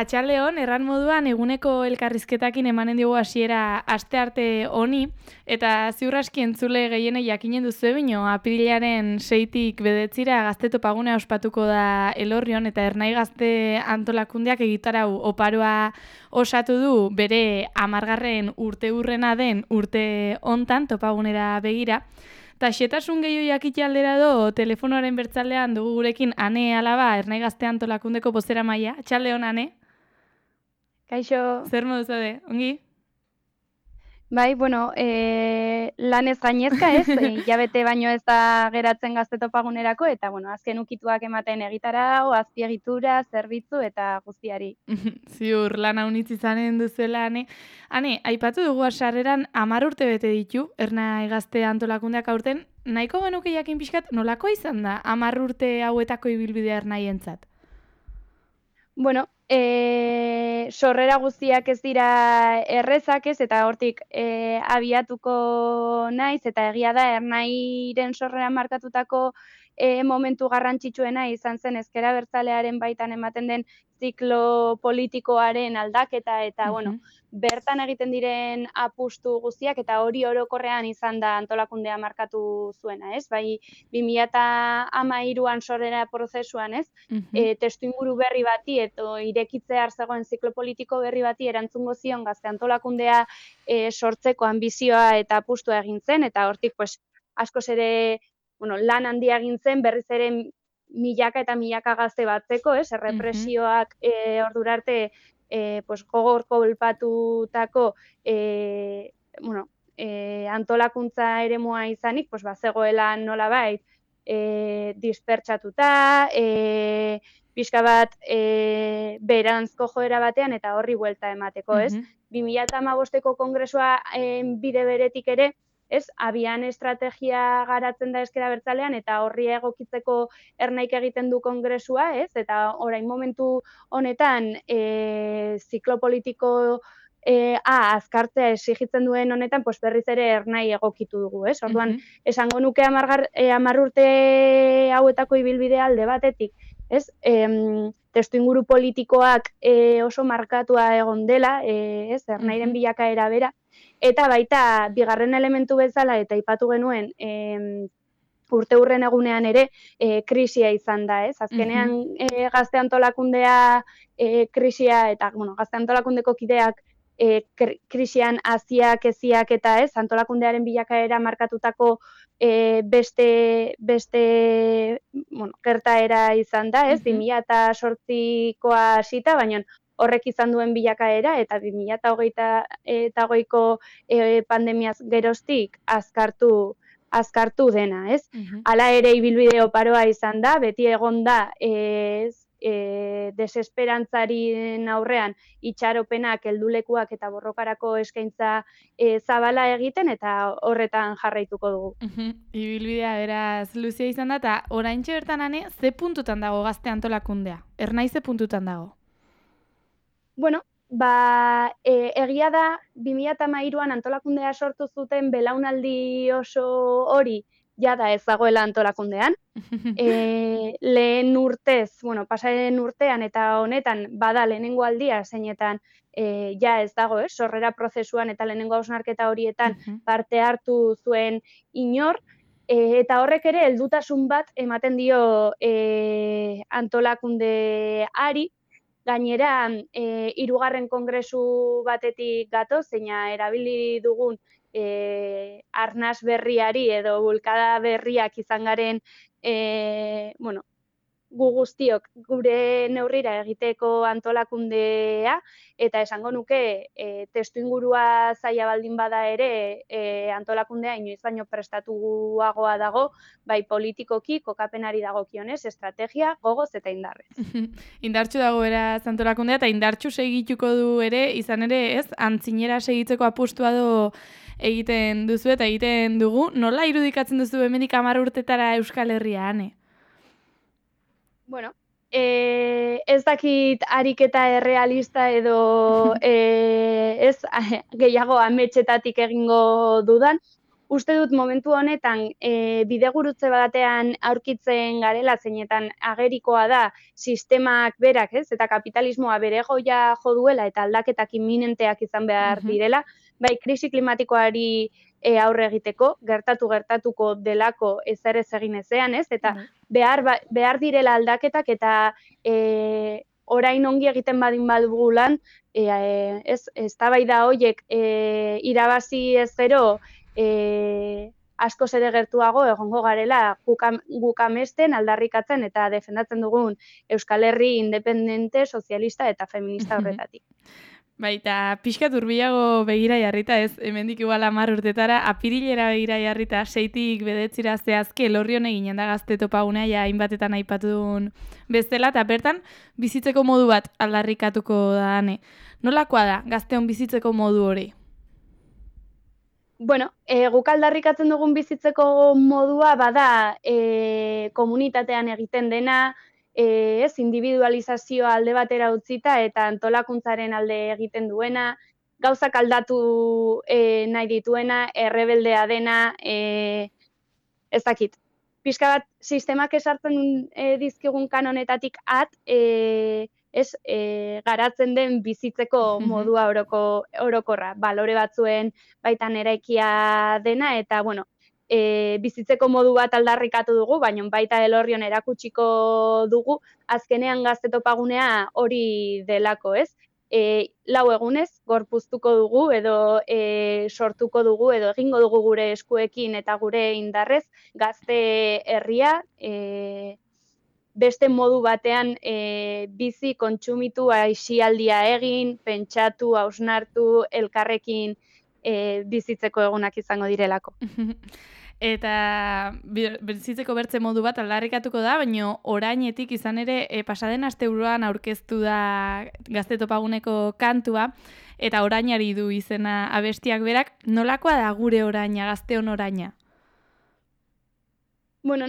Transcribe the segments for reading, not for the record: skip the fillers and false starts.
Atxaldeon, erran moduan eguneko elkarrizketakin emanen diogu hasiera astearte honi, eta ziur aski entzule gehienei jakinen duzu bino, apirilaren 6tik 9 gazte topagunea ospatuko da Elorrion, eta Ernai Gazte Antolakundeak egitarau oparoa osatu du bere 10. urteurrena den urte hontan topagunera begira. Ta xetasun gehiago jakite aldera do, telefonoaren bertzaldean dugu gurekin Ane Alaba, Ernai Gazte Antolakundeako bozeramailea. Atxaldeon, Ane? Kaixo, Zer modu zaude, ongi? bai, bueno, lanez gainezka ez, hilabete baino ez da geratzen gazte topagunerako, eta bueno, azken ukituak ematen egitarau, azpiegitura, zerbitzu eta guztiari. Ziur, lan haunitz izanen duzuela, Ane. Ane, aipatu dugu sarreran 10 urte bete ditu, Ernai Gazte Antolakundeak aurten, nahiko genuke jakin pixkat nolako izan da 10 urte hauetako ibilbidea Ernaientzat? Bueno, sorrera guztiak ez dira errezak ez, eta hortik abiatuko naiz, eta egia da Ernairen sorrera markatutako momentu garrantzitsuena izan zen ezker abertzalearen baitan ematen den ziklo politikoaren aldaketa, eta bueno, bertan egiten diren apustu guztiak, eta hori orokorrean izan da antolakundea markatu zuena, ez? Bai, 2013an sorrera prozesuan, ez? Testuinguru berri bati edo irekitzear zegoen ziklo politiko berri bati erantzungo zion gazte antolakundea sortzeko anbizioa eta apustua egin zen, eta hortik pues, askoz ere lan handia egin zen, berriz ere milaka eta milaka gazte batzeko, errepresioak ordura arte pues, gogor kolpatutako antolakuntza eremua izanik, pues, bazegoela nolabait dispertsatuta, pixka bat beranzko joera batean eta horri buelta emateko, ez? 2015ko kongresua bide beretik ere, ez? Abian estrategia garatzen da ezker abertzalean eta horri egokitzeko Ernaik egiten du kongresua, ez? Eta orain momentu honetan ziklo politiko azkartzea exigitzen duen honetan, pues berriz ere Ernai egokitu dugu, ez? Orduan, esango nuke 10 urte hauetako ibilbidea alde batetik, ez? Testuinguru politikoak oso markatua egon dela, ez? Ernairen bilakaera bera, eta baita bigarren elementu bezala eta aipatu genuen urteurren egunean ere krisia izan da, ez? Azkenean gazte antolakundea krisia eta gazte antolakundeko kideak krisian haziak, eziak eta ez, antolakundearen bilakaera markatutako beste gertaera izan da, ez, 2008koa hasita, baina horrek izan duen bilakaera eta 2020ko pandemiaz geroztik azkartu dena, ez? Hala ere ibilbide oparoa izan da, beti egon da desesperantzaren aurrean itxaropenak, heldulekuak eta borrokarako eskaintza zabala egiten eta horretan jarraituko dugu. Ibilbidea beraz luzea izan da, eta oraintxe bertan, Ane, ze puntutan dago gazte antolakundea? Ernai ze puntutan dago? Bueno, egia da 2013an antolakundea sortu zuten belaunaldi oso hori jada ez dagoela antolakundean. Lehen urtez, pasaren urtean eta honetan bada lehenengo aldia zeinetan ja ez dago, sorrera prozesuan eta lehenengo hausnarketa horietan parte hartu zuen inor, eta horrek ere heldutasun bat ematen dio antolakundeari. Gainera, 3. kongresu batetik gatoz, zeina erabili dugun arnas berriari edo bulkada berriak izan garen gu guztiok gure neurrira egiteko antolakundea, eta esango nuke testuingurua zaila baldin bada ere antolakundea inoiz baino prestatuagoa dago, bai politikoki, kokapenari dagokionez, estrategia, gogoz eta indarrez. Indartsu dago beraz antolakundea, eta indartsu segituko du ere, izan ere, ez, antzinera segitzeko apustua do egiten duzu eta egiten dugu. Nola irudikatzen duzu hemendik 10 urtetara Euskal Herria, Ane? Bueno, ez dakit ariketa errealista edo ez gehiago ametsetatik egingo dudan, uste dut momentu honetan bidegurutze batean aurkitzen garela, zeinetan agerikoa da sistemak berak, ez? Eta kapitalismoa bere goia jo duela eta aldaketak imminenteak izan behar direla, bai krisi klimatikoari aurre egiteko, gertatuko delako ezer ez egin ezean, ez? Eta behar direla aldaketak eta orain ongi egiten badin badugu lan, eztabaida horiek irabazi ez gero askoz ere gertuago egongo garela guk amesten, aldarrikatzen eta defendatzen dugun Euskal Herri independente, sozialista eta feminista horretatik. Baita, pixkat urbilago begira jarrita ez, hemendik igual 10 urtetara, apirilera begira jarrita, 6tik 9 zehazki Elorrion eginen da gazte topagunea, ja hainbatetan aipatun bezala, eta bertan bizitzeko modu bat aldarrikatuko da ane. Nolakoa da, gazteon bizitzeko modu hori? Bueno, guk aldarrikatzen dugun bizitzeko modua bada komunitatean egiten dena, ez individualizazioa alde batera utzita eta antolakuntzaren alde egiten duena, gauzak aldatu nahi dituena, errebeldea dena, ez dakit. Pixka bat, sistemak esartzen dizkigun kanonetatik garatzen den bizitzeko modua orokorra, balore batzuen baitan eraikia dena, eta, bueno, bizitzeko modu bat aldarrikatu dugu, baina baita Elorrion erakutsiko dugu, azkenean gazte topagunea hori delako, ez? 4 egunez, gorpuztuko dugu, edo sortuko dugu, edo egingo dugu gure eskuekin eta gure indarrez, gazte herria, beste modu batean bizi, kontsumitu, aisialdia egin, pentsatu, hausnartu, elkarrekin bizitzeko egunak izango direlako. Eta bizitzeko bertze modu bat aldarrikatuko da, baina orainetik izan ere pasaden asteburuan aurkeztu da gazte topaguneko kantua, eta orainari du izena abestiak berak, nolakoa da gure oraina, gazteon oraina? Bueno,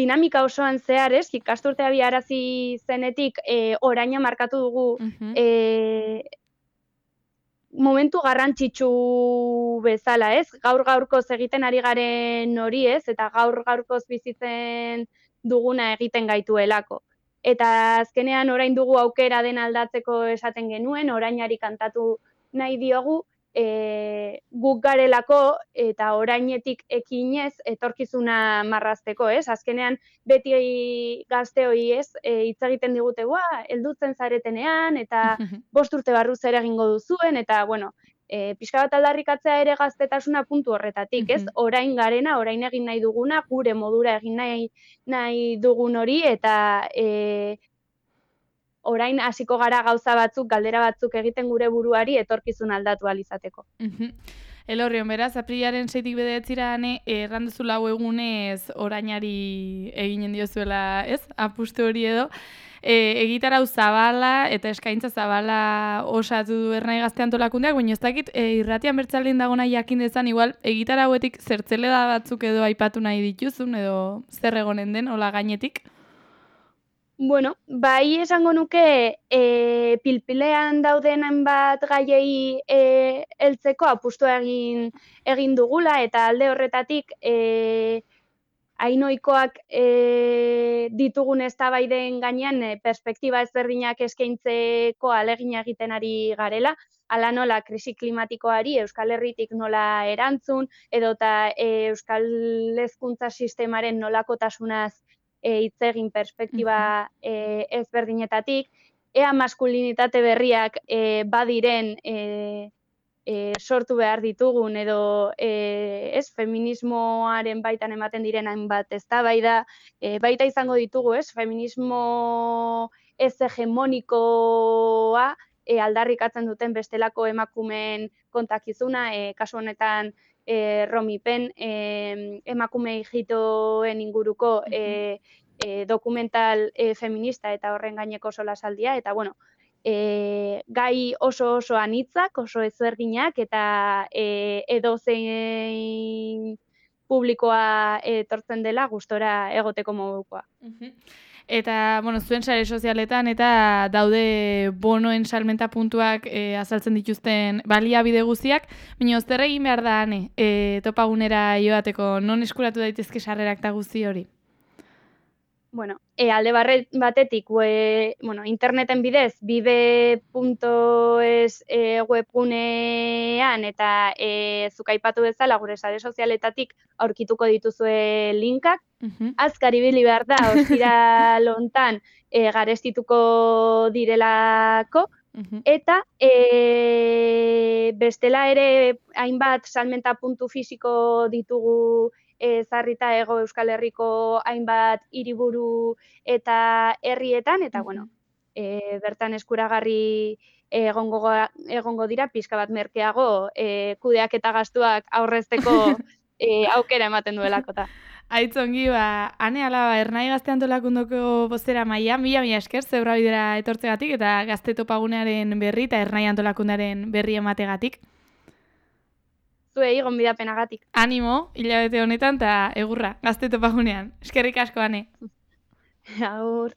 dinamika osoan zehar, ez, ikasturtea biharazi zenetik oraina markatu dugu momentu garrantzitsu bezala, ez? Gaur-gaurkoz egiten ari garen hori, ez? Eta gaur-gaurkoz bizitzen duguna egiten gaituelako. Eta azkenean orain dugu aukera den aldatzeko esaten genuen, orainari kantatu nahi diogu, guk garelako eta orainetik ekinez etorkizuna marrazteko, ez? Azkenean beti gazteoi, ez? Hitz egiten digute, heldutzen zaretenean eta 5 urte barru zer egingo duzuen eta bueno, pixka bat aldarrikatzea ere gaztetasuna puntu horretatik, ez? Orain garena, orain egin nahi duguna, gure modura egin nahi dugun hori eta orain hasiko gara gauza batzuk, galdera batzuk egiten gure buruari etorkizun aldatu alizateko. Elorrion, beraz, aprilaren 6tik 9 erranduzu 4 egunez orainari eginen diozuela, ez? Apustu hori edo. Egitarau zabala eta eskaintza zabala osatu du Ernai Gazte Antolakundeak, baina ez dakit irratian bertzaldin dagona jakin dezan, igual egitarauetik zertzeleda batzuk edo aipatu nahi dituzun, edo zer egonen den, hola gainetik? Bueno, bai esango nuke pilpilean dauden hainbat gaiei heltzeko apustua egin dugula eta alde horretatik hainoikoak ditugun eztabaiden gainean perspektiba ezberdinak eskaintzeko ahalegina egiten ari garela, hala nola krisi klimatikoari Euskal Herritik nola erantzun, edota Euskal Hezkuntza sistemaren nolakotasunaz hitz egin perspektiba ezberdinetatik, ea maskulinitate berriak badiren sortu behar ditugun edo feminismoaren baitan ematen diren hainbat eztabaida, baita izango ditugu, feminismo ez hegemonikoa aldarrikatzen duten bestelako emakumeen kontakizuna, kasu honetan Romi Pen, emakume ijitoen inguruko dokumental feminista eta horren gaineko solasaldia, eta bueno, gai oso anitzak, oso ezberdinak, eta edozein publikoa etortzen dela gustora egoteko modukoa. Eta, bueno, zuen sare sozialetan eta daude bonoen salmenta puntuak azaltzen dituzten baliabide guztiak, baina zer egin behar da, Ane, topagunera joateko, non eskuratu daitezke sarrerak eta guzti hori? Bueno, alde batetik, interneten bidez, bibe.es webgunean eta zuk aipatu bezala gure sare sozialetatik aurkituko dituzue linkak. Azkar ibili behar da, ostiral hontan garestituko direlako, eta bestela ere hainbat salmenta puntu fisiko ditugu zarrita Hego Euskal Herriko hainbat hiriburu eta herrietan, eta bertan eskuragarri egongo dira pixka bat merkeago kudeak eta gastuak aurrezteko aukera ematen duelakota. Aitzongi, Ane Alaba, Ernai Gazte Antolakundoko bozera maia, mila esker zebra bidera etortzegatik eta Gazte Topagunearen berri eta Ernai Antolakundaren berri emategatik. Zuei gonbidapenagatik. Animo, hilabete honetan eta egurra, Gazte Topagunean. Eskerrik asko, Ane. Agur.